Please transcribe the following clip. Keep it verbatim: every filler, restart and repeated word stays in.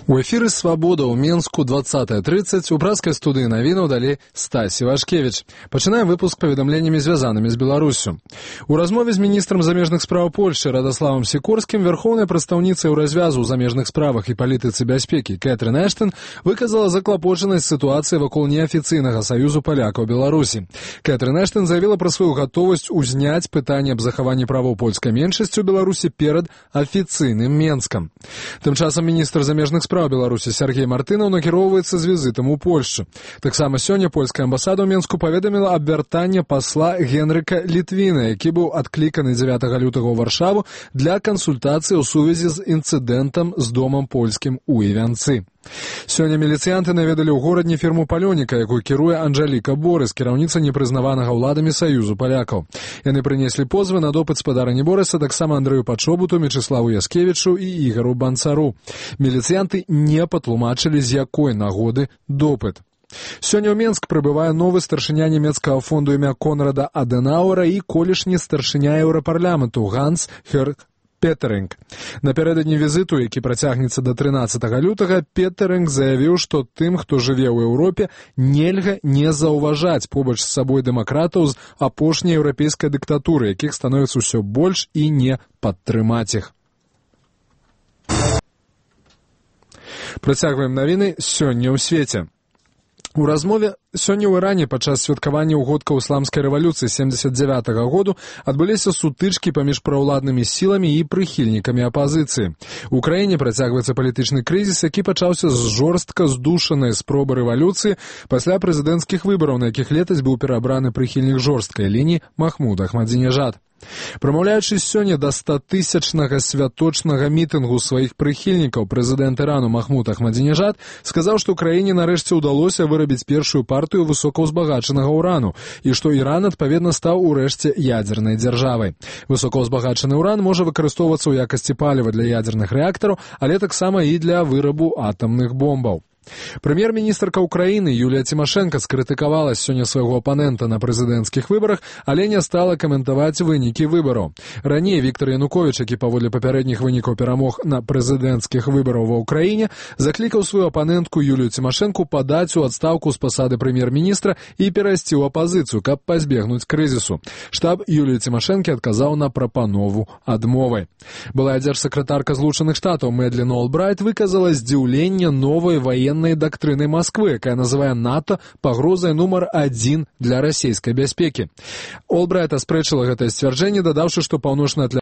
У эфіры «Свабода» ў Менску двадцатая тридцать у праскай студыі навінаў далі Стасі Вашкевіч. Пачынаем выпуск паведамленнямі, звязанымі з Беларусю. У размове з міністрам замежных спраў Польшчы Радославам Сікорскім верхоўная прадстаўніца Еўразвязу ў замежных справах і палітыцы бяспекі Кэтрын Эштон выказала заклапочанасць сітуацыі вакол неафіцыйнага саюзу палякаў Беларусі. Кэтрын Эштон заявіла пра сваю гатовасць узняць пытанне аб захаванні правоў польскай меншасці ў Беларусі перад афіцыйным Менскам. Тым часам міністр замежных спраў Беларусі Сергей Мартынаў накіроўваецца з візітам у Польшчу. Таксама сёння польская амбасада ў Менску паведаміла аб вяртанні пасла Генрыка Літвіна, які быў адкліканы дзевятага лютага ў Варшаву для кансультацыі ў сувязі з інцыдэнтам з домам польскім у Івянцы. Сёння міліцыянты наведалі ў горадні фірму палёніка, якую кіруе Анжаліка Борыс, кіраўніца непрызнаванага ўладамі саюзу палякаў. Яны прынеслі позвы на допыт спадарні Борыса таксама Андрэю Пачобуту, Мечыславу Яскевічу і Ігару Банцару. Міліцыянты не патлумачылі, з якой нагоды допыт. Сёння ў Менск прыбывае новы старшыня нямецкага фонду імя Конрада Адэнауэра і колішні старшыня еўрапарламенту Ганс Хёрг Петеринг. Напярэдадні візіту, які працягнецца да трынаццатага лютага, Петеринг заявіў, што тым, хто жыве ў Еўропе, нельга не заўважаць побач з сабой дэмакратаў з апошняй еўрапейскай дыктатуры, якіх становіцца ўсё больш, і не падтрымаць іх. Працягваем навіны сёння ў свеце. У размове сёння ў Іране падчас святкавання ўгодкаў ісламскай рэвалюцыі семдзесят дзевятага году адбыліся сутычкі паміж праўладнымі сіламі і прыхільнікамі апазіцыі. У краіне працягваецца палітычны крызіс, які пачаўся з жорстка здушанай спробы рэвалюцыі пасля прэзідэнцкіх выбараў, на якіх летась быў перабраны прыхільнік жорсткай лініі Махмуд Ахмадзінежад. Прамаўляючы сёння да статысячнага святочнага мітынгу сваіх прыхільнікаў, прэзідэнт Ірану Махмуд Ахмадзінежад сказаў, што краіне нарэшце ўдалося вырабіць першую партыю высокаўзбагачанага ўрану і што Іран, адпаведна, стаў урэшце ядзернай дзяржавай. Высокаўзбагачаны ўран можа выкарыстоўвацца ў якасці паліва для ядзерных рэактараў, але таксама і для вырабу атамных бомбаў. Прэм'ер-міністрка ўкраіны Юлія Цімашэнка скрытыкавала сёння свайго апанента на прэзідэнцкіх выбарах, але не стала каментаваць вынікі выбараў. Раней Віктор Януковіч, які паводле папярэдніх вынікаў перамог на прэзідэнцкіх выбараў ва ўкраіне, заклікаў сваю апанентку Юлію Цімашэнку падаць у адстаўку з пасады прэм'ер-міністра і перайсці ў апазіцыю, каб пазбегнуць крызісу. Штаб Юліі Цімашэнкі адказаў на прапанову адмовай. Былая дзяржсакратарка Злучаных Штатаў Мэдлін Олбрайт выказала здзіўленне новай ваеннай дактрыны Москвы, якая называе НАТО пагрозай нумар адзін для расійскай бяспекі. Олбрайт аспрэчыла гэтае сцвярджэнне, дадаўшы, што паўночны